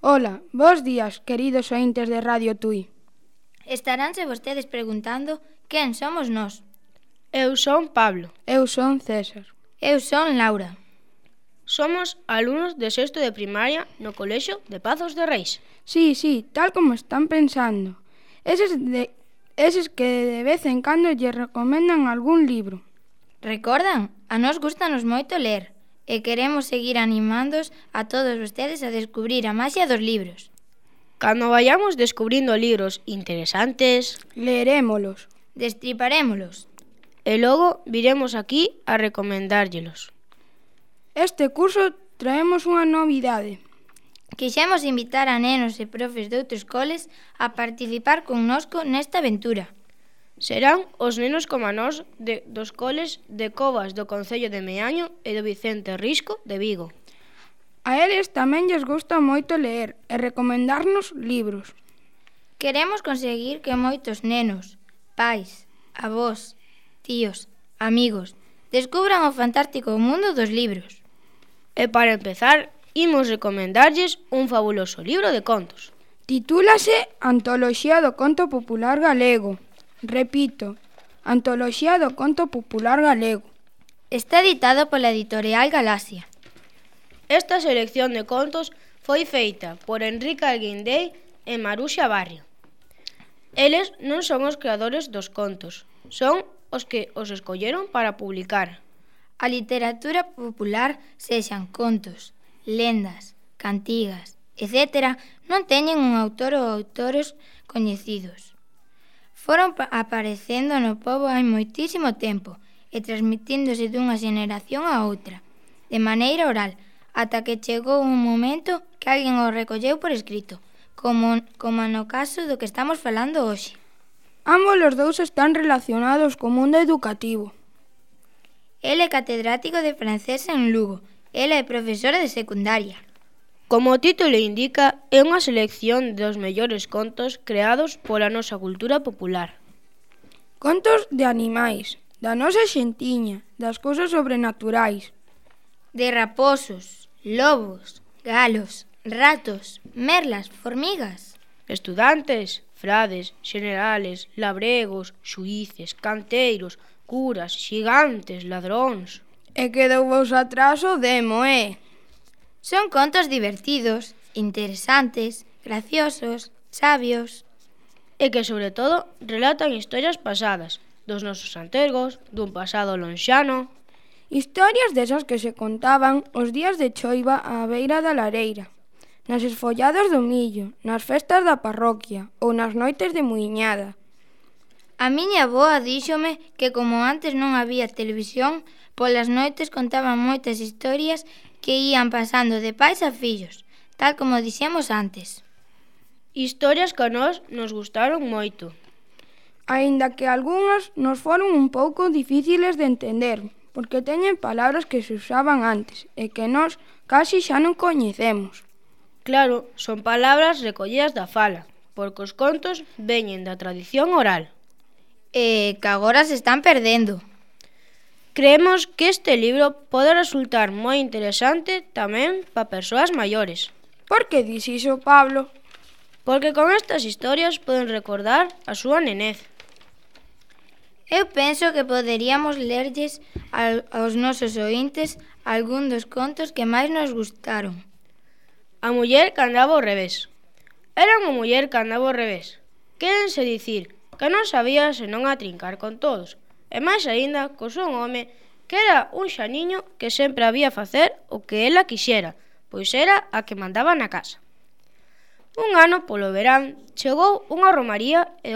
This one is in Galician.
Ola, bos días, queridos ointes de Radio Tui. Estaránse vostedes preguntando quen somos nós. Eu son Pablo. Eu son César. Eu son Laura. Somos alumnos de sexto de primaria no Colexio de Pazos de Reis. Sí, tal como están pensando. Eses que de vez en cando lle recomendan algún libro. Recordan? A nós gustanos moito ler e queremos seguir animándos a todos vostedes a descubrir a maxia dos libros. Cando vayamos descubrindo libros interesantes, leerémolos, destriparémolos e logo viremos aquí a recomendárllelos. Este curso traemos unha novidade. Quixemos invitar a nenos e profes de outros coles a participar connosco nesta aventura. Serán os nenos como nós dos coles de Covas do Concello de Meaño e do Vicente Risco de Vigo. A eles tamén lles gusta moito ler e recomendarnos libros. Queremos conseguir que moitos nenos, pais, avós, tíos, amigos, descubran o fantástico mundo dos libros. E para empezar, imos recomendarlles un fabuloso libro de contos. Titúlase Antoloxía do Conto Popular Galego. Repito, Antoloxía do Conto Popular Galego. Está editado pola editorial Galaxia. Esta selección de contos foi feita por Enrique Alguindei e Maruxa Barrio. Eles non son os creadores dos contos, son os que os escolleron para publicar. A literatura popular, sexan contos, lendas, cantigas, etc., non teñen un autor ou autores coñecidos. Foron aparecendo no pobo hai moitísimo tempo e transmitíndose dunha xeneración a outra, de maneira oral, ata que chegou un momento que alguén o recolleu por escrito, como no caso do que estamos falando hoxe. Ambos os dous están relacionados co mundo educativo. El é catedrático de francés en Lugo. Ela é profesora de secundaria. Como o título indica, é unha selección dos mellores contos creados pola nosa cultura popular. Contos de animais, da nosa xentiña, das cousas sobrenaturais. De raposos, lobos, galos, ratos, merlas, formigas. Estudantes, frades, xenerales, labregos, xuíces, canteiros, curas, xigantes, ladróns. E quedou vos atrás o demo, Son contos divertidos, interesantes, graciosos, sabios. E que, sobre todo, relatan historias pasadas, dos nosos antergos, dun pasado lonxano. Historias desas que se contaban os días de choiva á beira da lareira, nas esfolladas do millo, nas festas da parroquia ou nas noites de muiñada. A miña avoa díxome que como antes non había televisión, polas noites contaban moitas historias que ían pasando de pais a fillos, tal como dixemos antes. Historias que a nós nos gustaron moito. Aínda que algunhas nos foron un pouco difíciles de entender, porque teñen palabras que se usaban antes e que nós casi xa non coñecemos. Claro, son palabras recollidas da fala, porque os contos veñen da tradición oral. E que agora se están perdendo. Creemos que este libro pode resultar moi interesante tamén para persoas maiores. Por que dis iso, Pablo? Porque con estas historias poden recordar a súa nenez. Eu penso que poderíamos lerlles aos nosos ointes algún dos contos que máis nos gustaron. A muller que andaba ao revés. Era unha muller que andaba ao revés. Quérense dicir que non sabía senón a trincar con todos. E máis aínda co son home que era un xaniño que sempre había facer o que ela quixera, pois era a que mandaba na casa. Un ano, polo verán, chegou unha romaría e